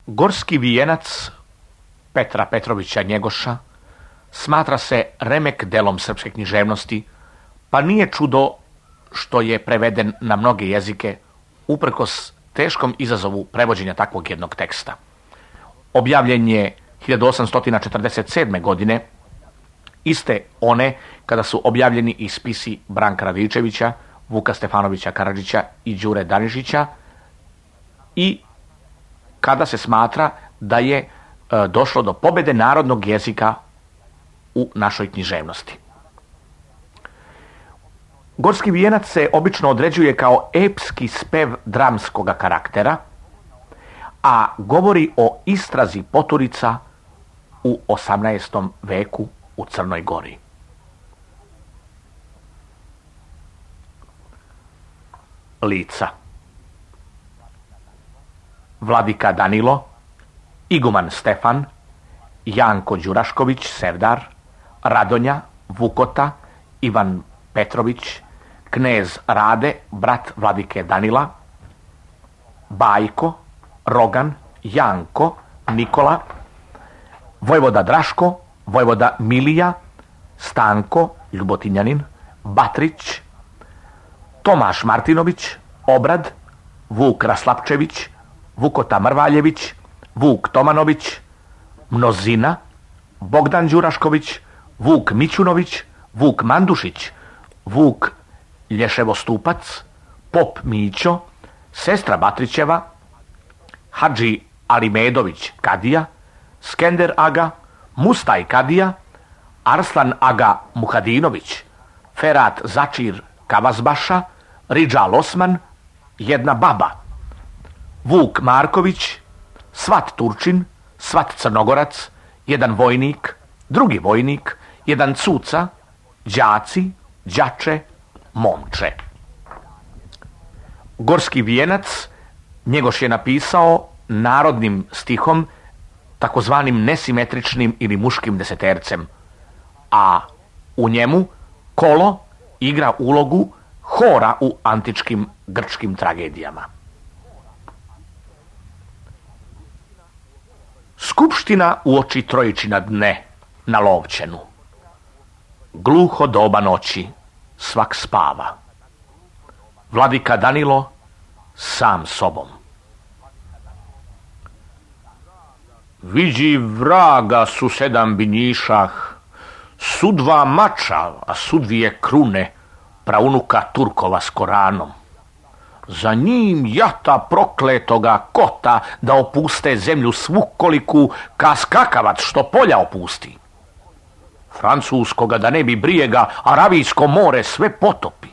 Gorski vijenac Petra Petrovića Njegoša smatra se remek delom srpske književnosti, pa nije čudo što je preveden na mnoge jezike uprkos teškom izazovu prevođenja takvog jednog teksta. Objavljen je 1847. godine, iste one kada su objavljeni i spisi Branka Radičevića, Vuka Stefanovića Karadžića i Đure Danišića i kada se smatra da je došlo do pobjede narodnog jezika u našoj književnosti. Gorski vijenac se obično određuje kao epski spev dramskoga karaktera, a govori o istrazi poturica u 18. veku u Crnoj Gori. Lica: Vladika Danilo, iguman Stefan, Janko Đurašković Sevdar, Radonja, Vukota, Ivan Petrović, knez Rade, brat Vladike Danila, Bajko, Rogan, Janko, Nikola, vojvoda Draško, vojvoda Milija, Stanko, Ljubotinjanin, Batrić, Tomaš Martinović, Obrad, Vuk Raslapčević, Vukota Mrvaljević, Vuk Tomanović, Mnozina, Bogdan Đurašković, Vuk Mićunović, Vuk Mandušić, Vuk Lješevostupac, Pop Mićo, sestra Batrićeva, Hadži Alimedović Kadija, Skender Aga, Mustaj Kadija, Arslan Aga Muhadinović, Ferat Začir Kavazbaša, Ridžal Osman, jedna baba, Vuk Marković, Svat Turčin, Svat Crnogorac, jedan vojnik, drugi vojnik, jedan cuca, đaci, đače, momče. Gorski vijenac Njegoš je napisao narodnim stihom, takozvanim nesimetričnim ili muškim desetercem, a u njemu kolo igra ulogu hora u antičkim grčkim tragedijama. Skupština uoči Trojičina dne na Lovćenu. Gluho doba noći, svak spava. Vladika Danilo sam sobom. Viđi vraga su 7 binjišah, su 2 mača, a su 2 krune, praunuka Turkova s Koranom. Za njim jata prokletoga kota da opuste zemlju svu koliku ka skakavac što polja opusti. Francuskoga da ne bi brijega, Aravijsko more sve potopi.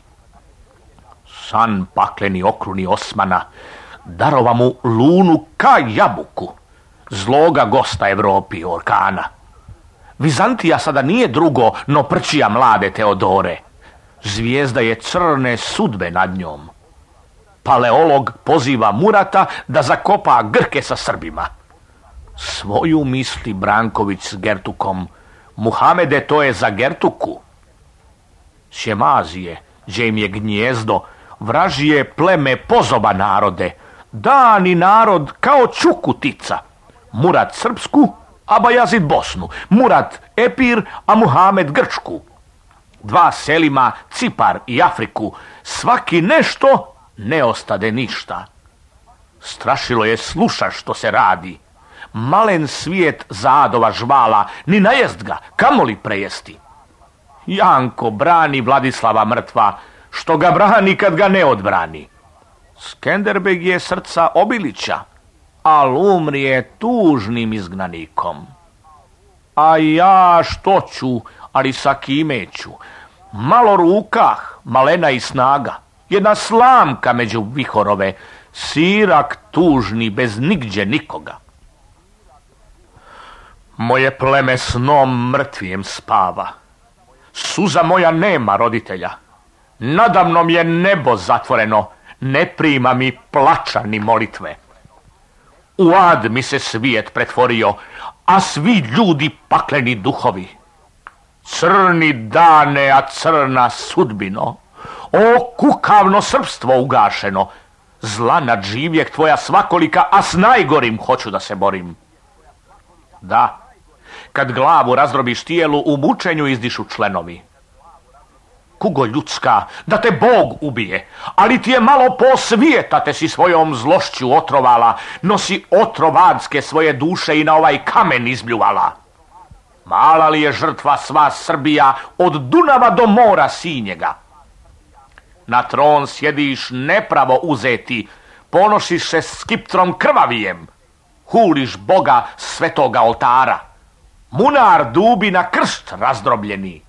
San pakleni okruni Osmana darova mu lunu ka jabuku, zloga gosta Evropi orkana. Vizantija sada nije drugo no prčija mlade Teodore. Zvijezda je crne sudbe nad njom. Paleolog poziva Murata da zakopa Grke sa Srbima. Svoju misli Branković s Gertukom, Muhamede to je za Gertuku. Šemazije, gdje im je gnjezdo, vražije pleme pozoba narode, dani narod kao čukutica. Murat Srpsku, a Bajazid Bosnu, Murat Epir, a Muhamed Grčku. 2 selima Cipar i Afriku, svaki nešto, ne ostade ništa. Strašilo je sluša što se radi. Malen svijet zadova žvala, ni najest ga, kamoli prejesti. Janko brani Vladislava mrtva, što ga brani kad ga ne odbrani. Skenderbeg je srca Obilića, al umrije tužnim izgnanikom. A ja što ću, ali sa kime ću? Malo rukah, malena i snaga, jedna slamka među vihorove, sirak tužni bez nigdje nikoga. Moje pleme snom mrtvijem spava, suza moja nema roditelja, nadamnom je nebo zatvoreno, ne prima mi plača ni molitve. U ad mi se svijet pretvorio, a svi ljudi pakleni duhovi. Crni dane, a crna sudbino, o kukavno srpstvo ugašeno, Zla nadživjek tvoja svakolika, a s najgorim hoću da se borim. Da, kad glavu razdrobiš tijelu, u mučenju izdišu členovi. Kugo ljudska, da te Bog ubije, ali ti je malo posvijeta, te si svojom zlošću otrovala, no si otrovanske svoje duše i na ovaj kamen izbljuvala. Mala li je žrtva sva Srbija od Dunava do mora Sinjega? Na tron sjediš nepravo uzeti, ponošiš se skiptrom krvavijem, huliš Boga svetoga oltara, munar dubi na krst razdrobljeni.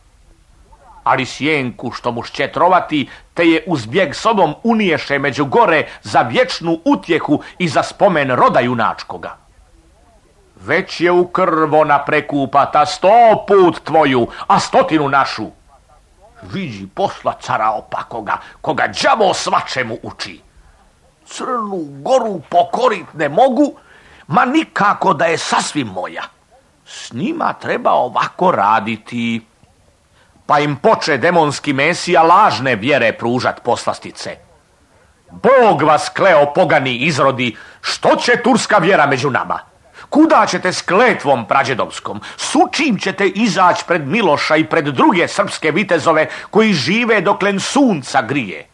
Ali sjenku što mu šće trovati, te je uz bijeg sobom uniješe među gore za vječnu utjehu i za spomen roda junačkoga. Već je u krv ona prekupata 100 put tvoju, a 100 našu. Viđi posla cara opakoga, koga đavo svačemu uči. Crnu goru pokorit ne mogu, ma nikako da je sasvim moja. S njima treba ovako raditi. Pa im poče demonski mesija lažne vjere pružat poslastice. Bog vas kleo pogani izrodi, što će turska vjera među nama? Kuda ćete s kletvom prađedovskom? Sučim ćete izać pred Miloša i pred druge srpske vitezove koji žive doklen sunca grije?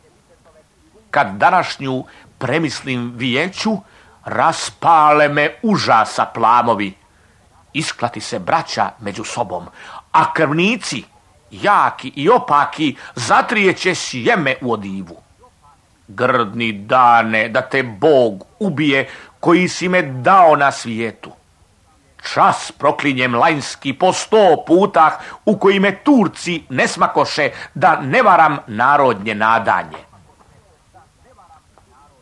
Kad današnju premislim vijeću, raspale me užasa plamovi. Isklati se braća među sobom, a krvnici, jaki i opaki, zatrijeće sjeme u odivu. Grdni dane, da te Bog ubije koji si me dao na svijetu. Čas proklinjem lanjski po 100 putah u koji me Turci ne smakoše da ne varam narodnje nadanje.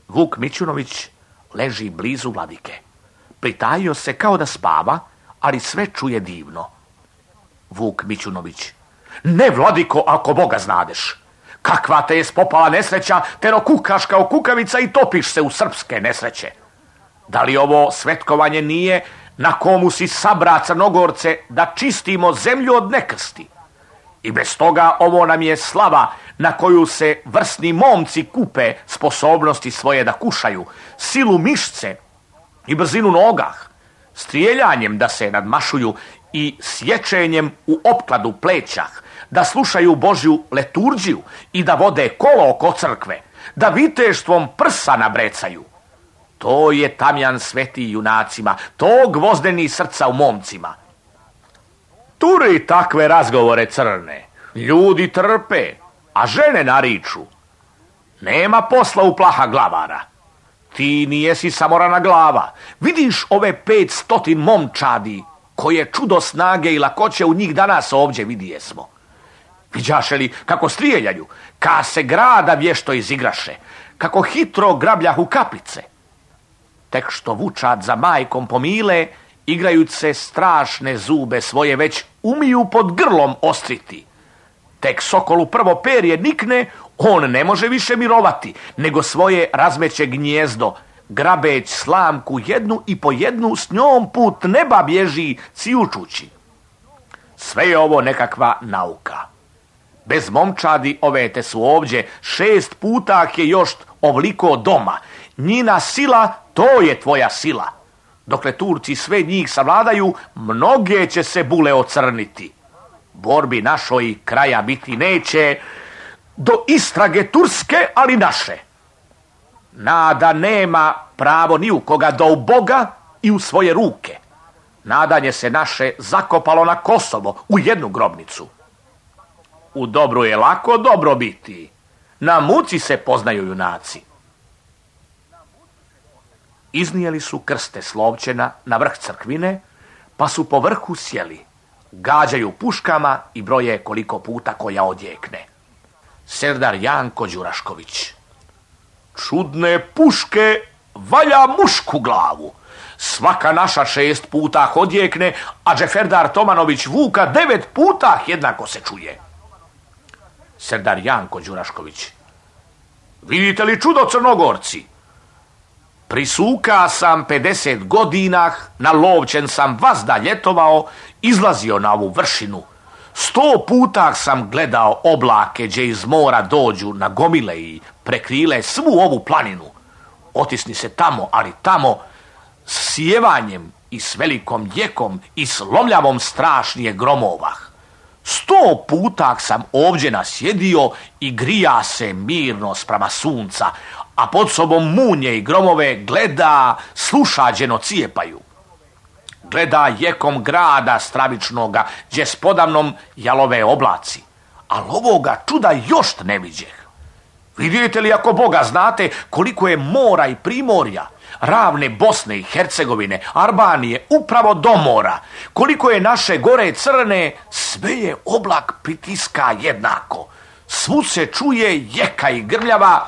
Vuk Mićunović leži blizu vladike. Pritajio se kao da spava, ali sve čuje divno. Vuk Mićunović: ne, vladiko, ako Boga znadeš. Kakva te je spopala nesreća, tero kukaš kao kukavica i topiš se u srpske nesreće. Da li ovo svetkovanje nije na komu si sabra Crnogorce da čistimo zemlju od nekrsti? I bez toga ovo nam je slava na koju se vrsni momci kupe sposobnosti svoje da kušaju, silu mišce i brzinu nogah, strijeljanjem da se nadmašuju i sječenjem u opkladu plećah, da slušaju Božju leturđiju i da vode kolo oko crkve, da viteštvom prsa nabrecaju. To je tamjan sveti junacima, to gvozdeni srca u momcima. Turi takve razgovore crne, ljudi trpe, a žene nariču. Nema posla u plaha glavara. Ti nijesi samorana glava. Vidiš ove 500 momčadi, koje čudo snage i lakoće u njih danas ovdje vidijesmo. Viđaše li kako strijeljaju, ka se grada vješto izigraše, kako hitro grabljahu kaplice. Tek što vučad za majkom pomile, igrajuć se strašne zube svoje već umiju pod grlom ostriti. Tek sokolu prvo perje nikne, on ne može više mirovati, nego svoje razmeće gnjezdo, grabeć slamku jednu i po jednu, s njom put neba bježi cijučući. Sve je ovo nekakva nauka. Bez momčadi ove te su ovdje 6 puta je još ovliko doma. Njina sila, to je tvoja sila. Dokle Turci sve njih savladaju, mnoge će se bule ocrniti. Borbi našoj kraja biti neće, do istrage turske, ali naše. Nada nema pravo ni u koga do u Boga i u svoje ruke. Nadanje se naše zakopalo na Kosovo u jednu grobnicu. U dobru je lako dobro biti. Na muci se poznaju junaci. Iznijeli su krste Slovčena na vrh crkvine, pa su po vrhu sjeli. Gađaju puškama i broje koliko puta koja odjekne. Serdar Janko Đurašković: čudne puške, valja mušku glavu. Svaka naša 6 puta odjekne, a Džeferdar Tomanović Vuka 9 puta jednako se čuje. Serdar Janko Đurašković: vidite li čudo, Crnogorci? Prisuka sam 50 godina, na Lovćen sam vazda ljetovao, izlazio na ovu vršinu. 100 puta sam gledao oblake gdje iz mora dođu na gomile i prekrile svu ovu planinu. Otisni se tamo, ali tamo s sjevanjem i s velikom jekom i s lomljavom strašnije gromovah. 100 puta sam ovdje nasjedio i grija se mirno sprama sunca, a pod sobom munje i gromove gleda, sluša đeno cijepaju. Gleda jekom grada stravičnoga, gdje spodamnom jalove oblaci, ali ovoga čuda još ne viđeh. Vidite li, ako Boga znate, koliko je mora i primorja, ravne Bosne i Hercegovine, Albanije, upravo do mora, koliko je naše gore crne, sve je oblak pritiska jednako. Svud se čuje jeka i grmljava,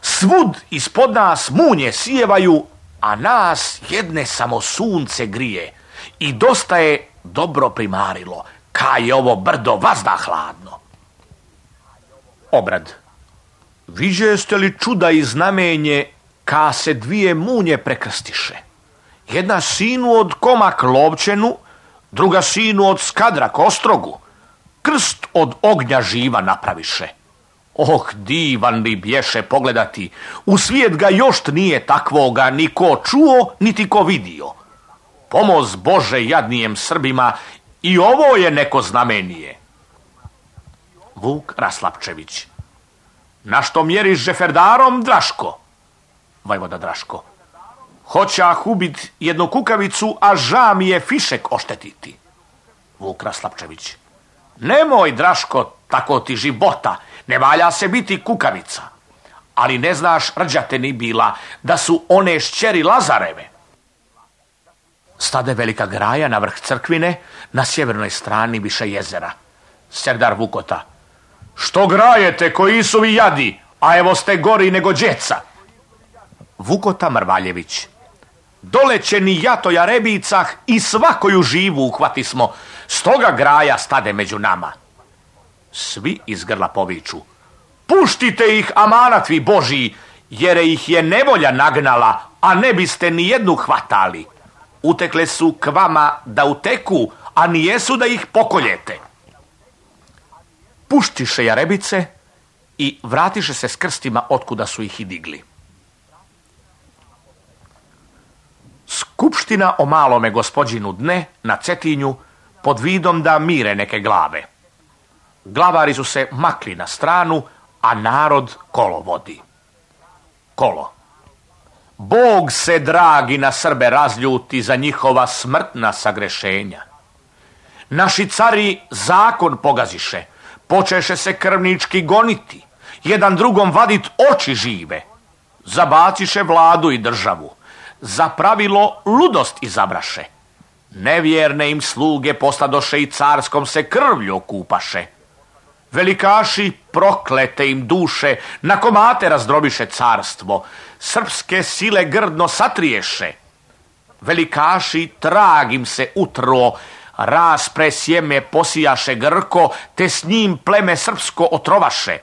svud ispod nas munje sijevaju, a nas jedne samo sunce grije. I dosta je dobro primarilo, ka je ovo brdo vazda hladno. Obrad. Viđeste li čuda i znamenje ka se 2 munje prekrstiše? Jedna sinu od Komak Lovčenu, druga sinu od Skadrak Ostrogu. Krst od ognja živa napraviše. Oh, divan li bješe pogledati, u svijet ga još nije takvoga ni ko čuo, niti ko vidio. Pomoz Bože jadnijem Srbima, i ovo je neko znamenije. Vuk Raslapčević. Na što mjeriš žeferdarom, Draško? Vojvoda Draško. Hoćah ubit jednu kukavicu, a ža mi je fišek oštetiti. Vuk Raslapčević. Nemoj, Draško, tako ti života, ne valja se biti kukavica. Ali ne znaš, rđate ni bila, da su one šćeri Lazareve. Stade velika graja na vrh crkvine, na sjevernoj strani više jezera. Serdar Vukota. Što grajete, koji su vi jadi, a evo ste gori nego djeca? Vukota Mrvaljević. Doleće ni jato jarebicah i svakoju živu uhvati smo, stoga graja stade među nama. Svi iz grla poviču. Puštite ih, amanatvi Božiji, jer ih je nevolja nagnala, a ne biste ni jednu hvatali. Utekle su k vama da uteku, a nijesu da ih pokoljete. Puštiše jarebice i vratiše se s krstima otkuda su ih i digli. Skupština o malome gospodinu dne na Cetinju pod vidom da mire neke glave. Glavari su se makli na stranu, a narod kolo vodi. Kolo. Bog se, dragi, na Srbe razljuti za njihova smrtna sagrešenja. Naši cari zakon pogaziše, počeše se krvnički goniti, jedan drugom vadit oči žive. Zabaciše vladu i državu, za pravilo ludost izabraše. Nevjerne im sluge posladoše i carskom se krvlju okupaše. Velikaši proklete im duše, na komate razdrobiše carstvo, srpske sile grdno satriješe. Velikaši trag im se utro, raspre sjeme posijaše Grko, te s njim pleme srpsko otrovaše.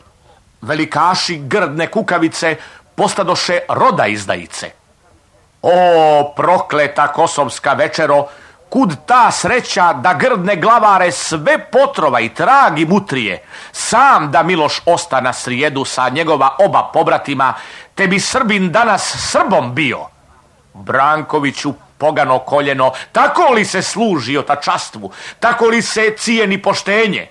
Velikaši grdne kukavice postadoše roda izdajice. O, prokleta kosovska večero, kud ta sreća da grdne glavare sve potrova i tragi mutrije, sam da Miloš osta na srijedu sa njegova oba pobratima, te bi Srbin danas Srbom bio. Brankoviću, pogano koljeno, tako li se služi otačastvu, tako li se cijeni poštenje?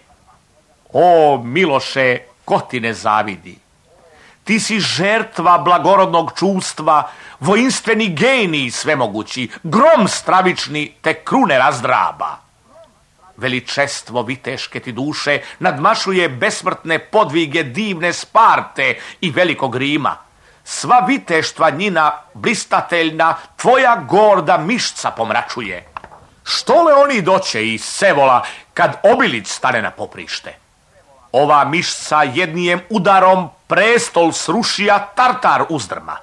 O, Miloše, ko ti ne zavidi? Ti si žertva blagorodnog čuvstva, vojinstveni genij svemogući, grom stravični te krune razdraba. Veličestvo viteške ti duše nadmašuje besmrtne podvige divne Sparte i velikog Rima. Sva viteštva njina blistateljna tvoja gorda mišca pomračuje. Što le oni doće iz Sevola kad Obilić stane na poprište? Ova mišca jednijem udarom prestol srušija, Tartar uzdrma.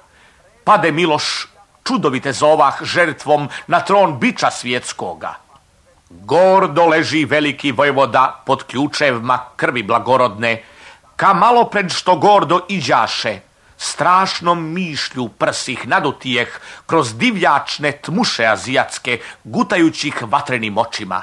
Pade Miloš, čudovite zovah, žrtvom na tron biča svjetskoga. Gordo leži veliki vojvoda pod ključevma krvi blagorodne, ka malo pred što gordo iđaše, strašnom mišlju prsih nadutijeh kroz divljačne tmuše azijatske, gutajućih vatrenim očima.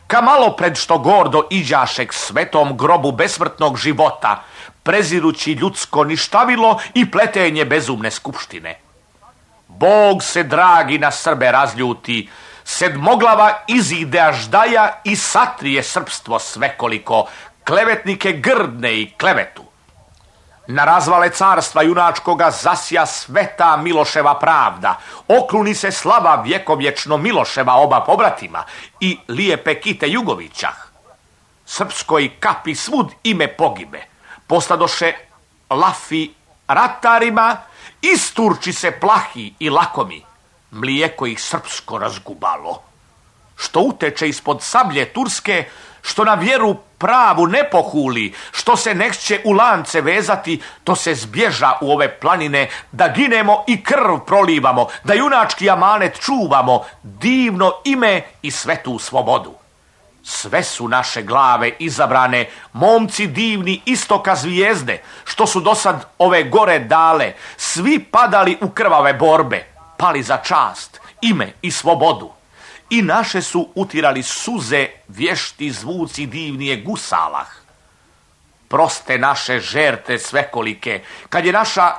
Ka malo pred što gordo iđaše k svetom grobu besmrtnog života, prezirući ljudsko ništavilo i pletenje bezumne skupštine. Bog se dragi na Srbe razljuti, sedmoglava izide Aždaja i satrije srpstvo svekoliko, klevetnike grdne i klevetu. Na razvale carstva junačkoga zasja sveta Miloševa pravda, okruni se slava vjekovječno Miloševa oba pobratima i lijepe Kite Jugovićah. Srpskoj kapi svud ime pogibe, postadoše lafi ratarima, isturči se plahi i lakomi, mlijeko ih srpsko razgubalo. Što uteče ispod sablje turske, što na vjeru pravu ne pohuli, što se neće u lance vezati, to se zbježa u ove planine, da ginemo i krv prolivamo, da junački amanet čuvamo, divno ime i svetu slobodu. Sve su naše glave izabrane, momci divni istoka zvijezde, što su dosad ove gore dale, svi padali u krvave borbe, pali za čast, ime i slobodu. I naše su utirali suze vješti zvuci divnije gusalah. Proste naše žerte svekolike, kad je naša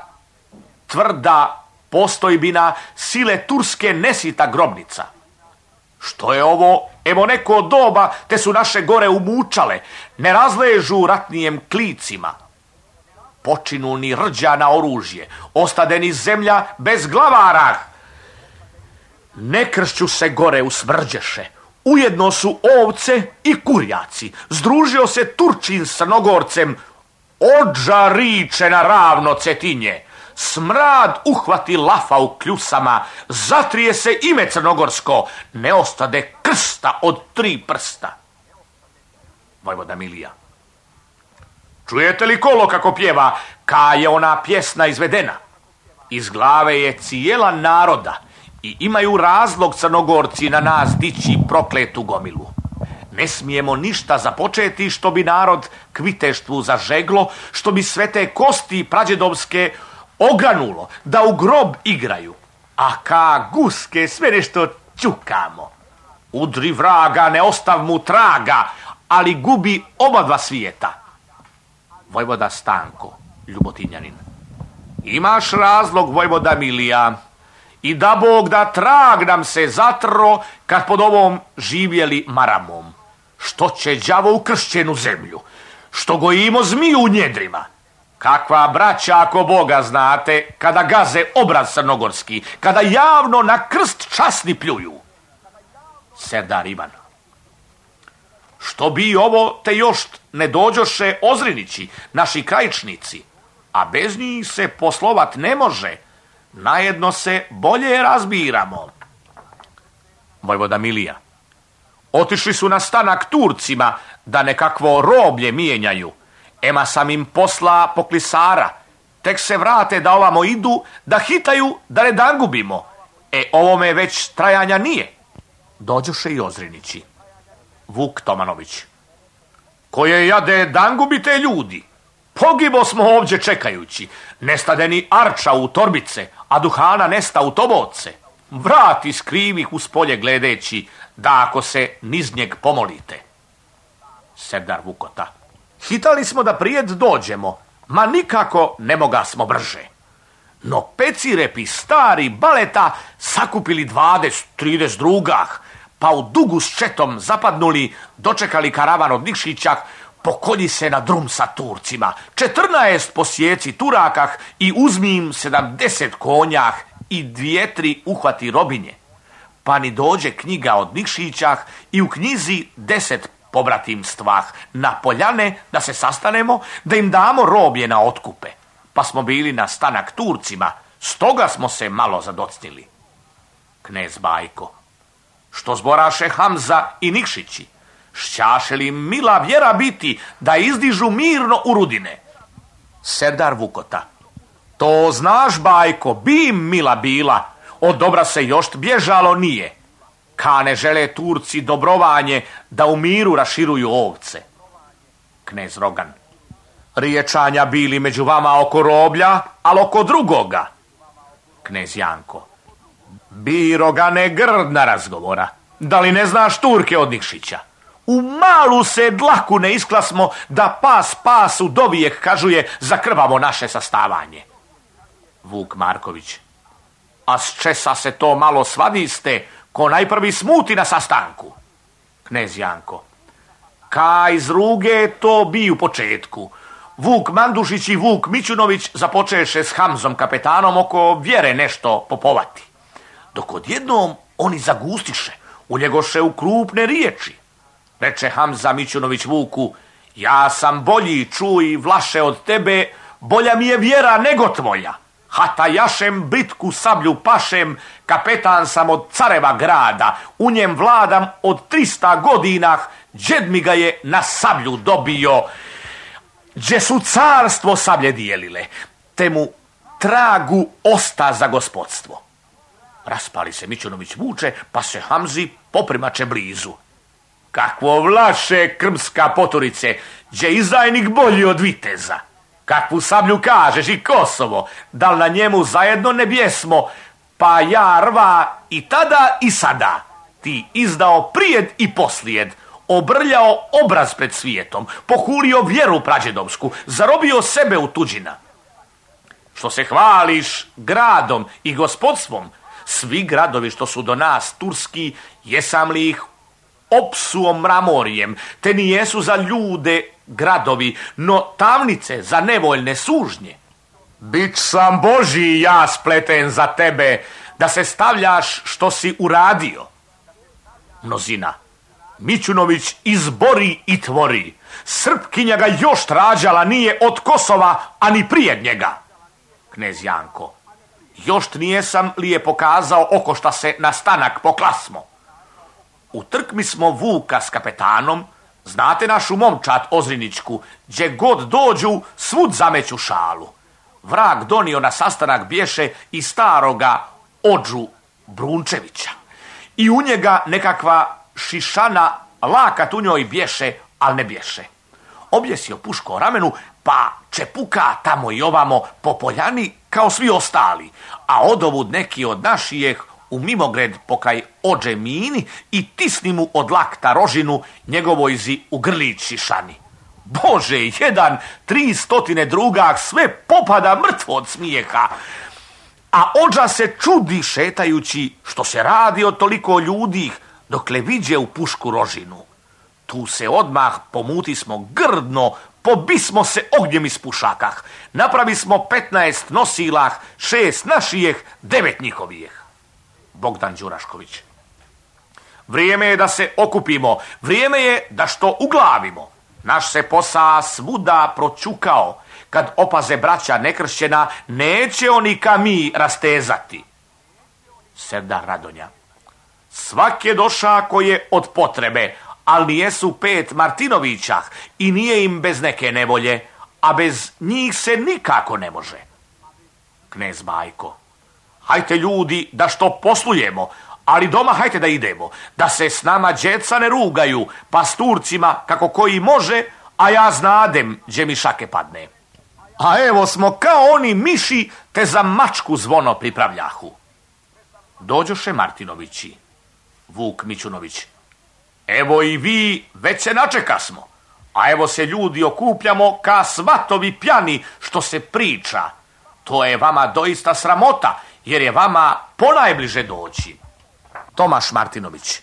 tvrda postojbina sile turske nesita grobnica. Što je ovo? Evo neko doba, te su naše gore umučale, ne razležu ratnijem klicima. Počinu ni rđa na oružje, ostade ni zemlja bez glavara. Ne kršću se gore usmrđeše, ujedno su ovce i kurjaci, združio se Turčin s Crnogorcem, odža riče na ravno Cetinje, smrad uhvati lafa u kljusama, zatrije se ime crnogorsko, ne ostade krsta od 3 prsta. Vojvoda Milija. Čujete li kolo kako pjeva, ka je ona pjesna izvedena? Iz glave je cijela naroda i imaju razlog Crnogorci na nas dići prokletu gomilu. Ne smijemo ništa započeti što bi narod k viteštvu zažeglo, što bi sve te kosti prađedovske ogranulo, da u grob igraju. A ka guske sve nešto čukamo. Udri vraga, ne ostav mu traga, ali gubi oba dva svijeta. Vojvoda Stanko, Ljubotinjanin. Imaš razlog, Vojvoda Milija, i da Bog da trag nam se zatro kad pod ovom živjeli maramom. Što će đavo u kršćenu zemlju, što gojimo zmiju u njedrima. Kakva braća, ako Boga znate, kada gaze obraz crnogorski, kada javno na krst časni pljuju. Serdar Ivan. Što bi ovo te još ne dođoše Ozrinići, naši krajičnici, a bez njih se poslovat ne može, najedno se bolje razbiramo. Vojvoda Milija. Otišli su na stanak Turcima da nekakvo roblje mijenjaju. Ema sam im posla poklisara. Tek se vrate da ovamo idu, da hitaju, da ne dan gubimo. Ovome već trajanja nije. Dođoše i Ozrinići. Vuk Tomanović. Koje jade dan gubite ljudi? Pogibo smo ovdje čekajući. Nestade ni arča u torbice, a duhana nesta u toboce. Vrati skrivih uz polje gledeći, da ako se niz njeg pomolite. Serdar Vukota. Hitali smo da prijed dođemo, ma nikako ne moga smo brže. No pecirepi stari baleta sakupili 20-30 drugah, pa u dugu s četom zapadnuli, dočekali karavan od Nikšića, pokolji se na drum sa Turcima, 14 posjeci Turakah i uzmi im 70 konjah i 2-3 uhvati robinje. Pa ni dođe knjiga od Nikšićah i u knjizi 10 pobratimstvah na poljane da se sastanemo, da im damo roblje na otkupe. Pa smo bili na stanak Turcima, stoga smo se malo zadocnili. Knez Bajko. Što zboraše Hamza i Nikšići? Šćaše li mila vjera biti da izdižu mirno u rudine? Serdar Vukota. To znaš, Bajko, bi im mila bila, od dobra se još bježalo nije. Ka ne žele Turci dobrovanje da u miru raširuju ovce. Knez Rogan. Riječanja bili među vama oko roblja, ali oko drugoga. Knez Janko. Bi, Rogane, grdna razgovora. Da li ne znaš Turke od Nikšića? U malu se dlaku ne isklasmo da pas pasu dovijek kažuje za krvavo naše sastavanje. Vuk Marković. A s česa se to malo svadiste, ko najprvi smuti na sastanku? Knez Janko: Ka iz ruge to bi u početku. Vuk Mandušić i Vuk Mićunović započeše s Hamzom kapetanom oko vjere nešto popovati. Dok odjednom oni zagustiše, uljegoše u krupne riječi. Reče Hamza Mićunović Vuku: Ja sam bolji, čuj, Vlaše, od tebe, bolja mi je vjera nego tvoja. Hata jašem, bitku sablju pašem, kapetan sam od careva grada, u njem vladam od 300 godina, džed mi ga je na sablju dobio, gdje su carstvo sablje dijelile, te mu tragu osta za gospodstvo. Raspali se Mićunović Vuče, pa se Hamzi poprimače blizu. Kakvo Vlaše, krmska poturice, gdje izdajnik bolji od viteza. Kakvu sablju kažeš i Kosovo, da li na njemu zajedno ne bjesmo, pa ja rva i tada i sada. Ti izdao prijed i poslijed, obrljao obraz pred svijetom, pohulio vjeru prađedovsku, zarobio sebe u tuđina. Što se hvališ gradom i gospodstvom, svi gradovi što su do nas turski, jesam li ih opsuo mramorjem, te nijesu za ljude gradovi, no tamnice za nevoljne sužnje. Bić sam Božji ja spleten za tebe, da se stavljaš što si uradio. Mnozina: Mićunović izbori i tvori. Srpkinja ga još trađala nije od Kosova, ani prije njega. Knez Janko: Još nijesam li je pokazao oko šta se na stanak poklasmo. U trkmi smo Vuka s kapetanom, znate našu momčad Ozriničku, gdje god dođu svud zameću šalu. Vrag donio na sastanak bješe i staroga Odžu Brunčevića. I u njega nekakva šišana lakat u njoj bješe, al ne bješe. Objesio pušku o ramenu, pa čepuka tamo i ovamo po poljani kao svi ostali, a odovud neki od našijeh u mimogred pokaj ođe mini i tisni mu od lakta rožinu njegovojzi u grlić šišani. Bože, jedan, 300 drugah, sve popada mrtvo od smijeha. A ođa se čudi šetajući što se radi od toliko ljudi, dokle viđe u pušku rožinu. Tu se odmah pomutismo grdno, pobismo se ognjem iz pušakah. Napravismo 15 nosilah, 6 našijeh, 9 njihovijeh. Bogdan Đurašković: Vrijeme je da se okupimo, vrijeme je da što uglavimo. Naš se posa svuda pročukao, kad opaze braća nekršćena, neće oni ka mi rastezati. Serdar Radonja: Svak je doša ko je od potrebe, ali nijesu 5 Martinovića i nije im bez neke nevolje, a bez njih se nikako ne može. Knez Bajko: Hajte ljudi da što poslujemo, ali doma hajte da idemo, da se s nama djeca ne rugaju, pa s Turcima kako koji može, a ja znadem gdje mi šake padne. A evo smo kao oni miši, te za mačku zvono pripravljahu. Dođoše Martinovići. Vuk Mićunović: Evo i vi, već se načekasmo, a evo se ljudi okupljamo ka svatovi pjani što se priča. To je vama doista sramota, jer je vama ponajbliže doći. Tomaš Martinović: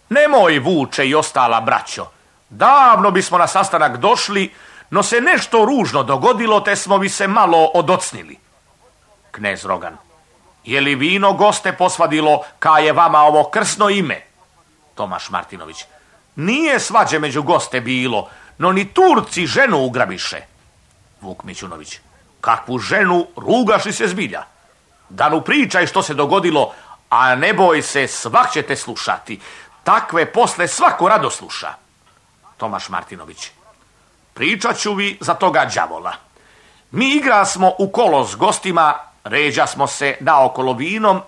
Nemoj, Vuče i ostala braćo, davno bismo na sastanak došli, no se nešto ružno dogodilo, te smo bi se malo odocnili. Knez Rogan: Je li vino goste posvadilo, ka je vama ovo krsno ime? Tomaš Martinović: Nije svađe među goste bilo, no ni Turci ženu ugrabiše. Vuk Mićunović: Kakvu ženu, rugaš li se zbilja? Danu pričaj što se dogodilo, a ne boj se, svak će te slušati. Takve posle svako rado sluša. Tomaš Martinović: Pričat ću vi za toga đavola. Mi igra smo u kolo s gostima, ređa smo se naokolo vinom,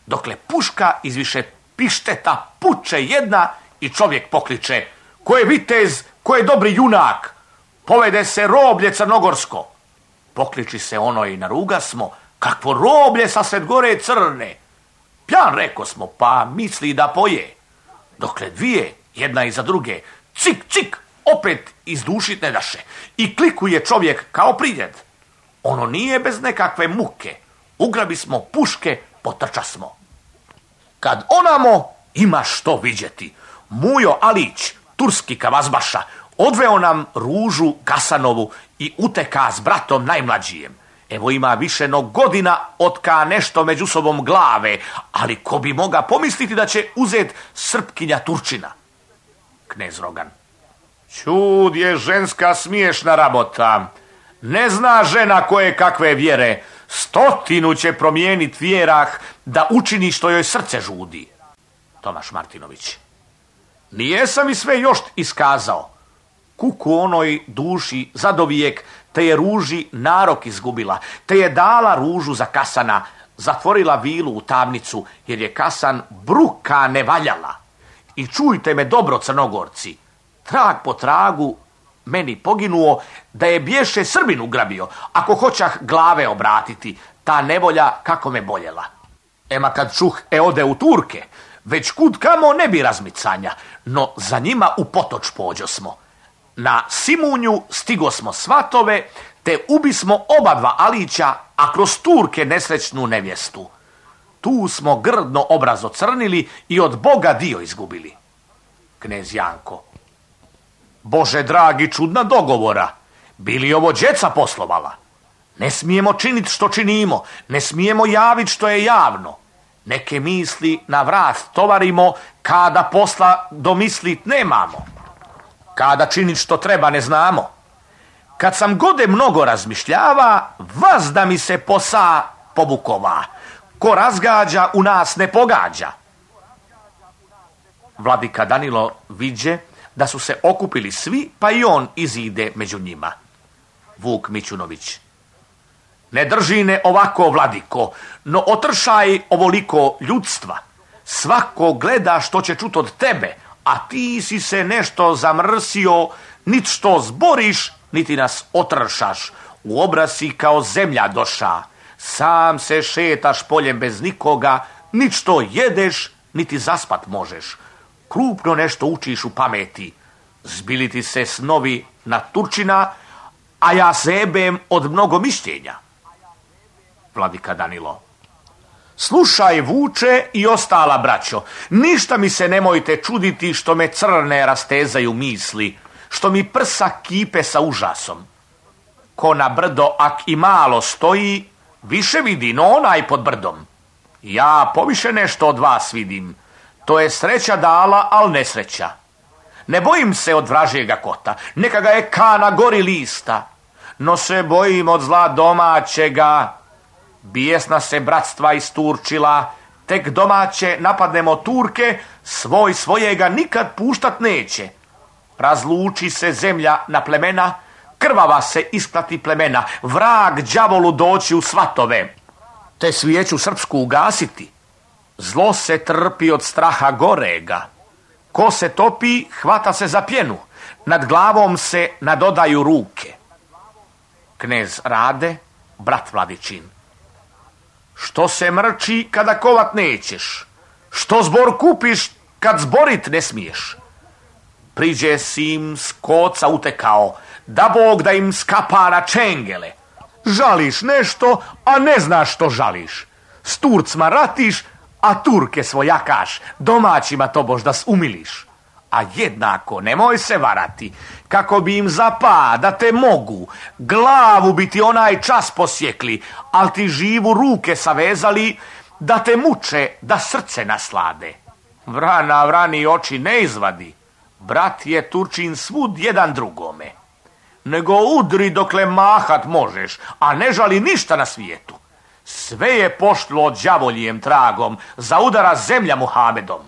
dokle puška izviše pišteta puče jedna i čovjek pokliče: Ko je vitez, ko je dobri junak, povede se roblje crnogorsko. Pokliči se ono i naruga smo: Kakvo roblje sa sred gore crne. Pjan reko smo, pa misli da poje. Dokle dvije, jedna iza druge, cik, cik, opet izdušit ne daše. I klikuje čovjek kao pridjed. Ono nije bez nekakve muke. Ugrabi smo puške potrča smo. Kad onamo ima što vidjeti. Mujo Alić, turski kavazbaša, odveo nam Ružu Kasanovu i uteka s bratom najmlađijem. Evo ima više no godina otka nešto među sobom glave, ali ko bi moga pomisliti da će uzet Srpkinja Turčina? Knez Rogan. Čud je ženska smiješna rabota. Ne zna žena koje kakve vjere. 100 će promijenit vjerah da učini što joj srce žudi. Tomaš Martinović. Nijesam i sve još iskazao. Kuku onoj duši zadovijek, te je Ruži narok izgubila, te je dala Ružu za Kasana, zatvorila vilu u tamnicu, jer je Kasan bruka ne valjala. I čujte me dobro, Crnogorci, trag po tragu meni poginuo, da je bješe Srbin ugrabio, ako hoćah glave obratiti, ta nevolja kako me boljela. Ema kad čuh ode u Turke, već kud kamo ne bi razmicanja, no za njima u potoč pođo smo. Na Simunju stigo smo svatove, te ubismo oba dva Alića, a kroz Turke nesrećnu nevjestu. Tu smo grdno obraz ocrnili i od Boga dio izgubili. Knez Janko. Bože dragi, čudna dogovora. Bili ovo djeca poslovala? Ne smijemo činiti što činimo, ne smijemo javiti što je javno. Neke misli na vrat tovarimo, kada posla domislit nemamo. Kada činit što treba ne znamo. Kad sam gode mnogo razmišljava, vas da mi se posa povukova. Ko razgađa, u nas ne pogađa. Vladika Danilo viđe da su se okupili svi, pa i on izide među njima. Vuk Mićunović. Ne držine ovako, vladiko, no otršaj ovoliko ljudstva. Svako gleda što će čut od tebe, a ti si se nešto zamrsio, nit što zboriš, niti nas otršaš. U obraz si kao zemlja doša. Sam se šetaš poljem bez nikoga, nit što jedeš, niti zaspat možeš. Krupno nešto učiš u pameti. Zbili ti se snovi na Turčina, a ja zebem od mnogo mišljenja. Vladika Danilo. Slušaj, Vuče i ostala braćo, ništa mi se nemojte čuditi što me crne rastezaju misli, što mi prsa kipe sa užasom. Ko na brdo ak i malo stoji, više vidi no onaj pod brdom. Ja poviše nešto od vas vidim. To je sreća dala, al nesreća. Ne bojim se od vražjega kota, neka ga je kana gori lista, no se bojim od zla domaćega. Bijesna se bratstva isturčila, tek domaće napadnemo Turke, svoj svojega nikad puštat neće. Razluči se zemlja na plemena, krvava se isplati plemena, vrag đavolu doći u svatove, te svijeću srpsku ugasiti. Zlo se trpi od straha gorega. Ko se topi, hvata se za pjenu, nad glavom se nadodaju ruke. Knez Rade, brat Vladičin. Što se mrči kada kovat nećeš? Što zbor kupiš kad zborit ne smiješ? Priđe si im s koca utekao, da Bog da im skapa na čengele. Žališ nešto, a ne znaš što žališ. S Turcima ratiš, a Turke svojakaš, domaćima tobož da umiliš. A jednako nemoj se varati, kako bi im zapa da te mogu, glavu bi ti onaj čas posjekli, al ti živu ruke savezali, da te muče, da srce naslade. Vrana vrani oči ne izvadi, brat je Turčin svud jedan drugome. Nego udri dokle mahat možeš, a ne žali ništa na svijetu. Sve je pošlo đavoljijem tragom, za udara zemlja Muhamedom.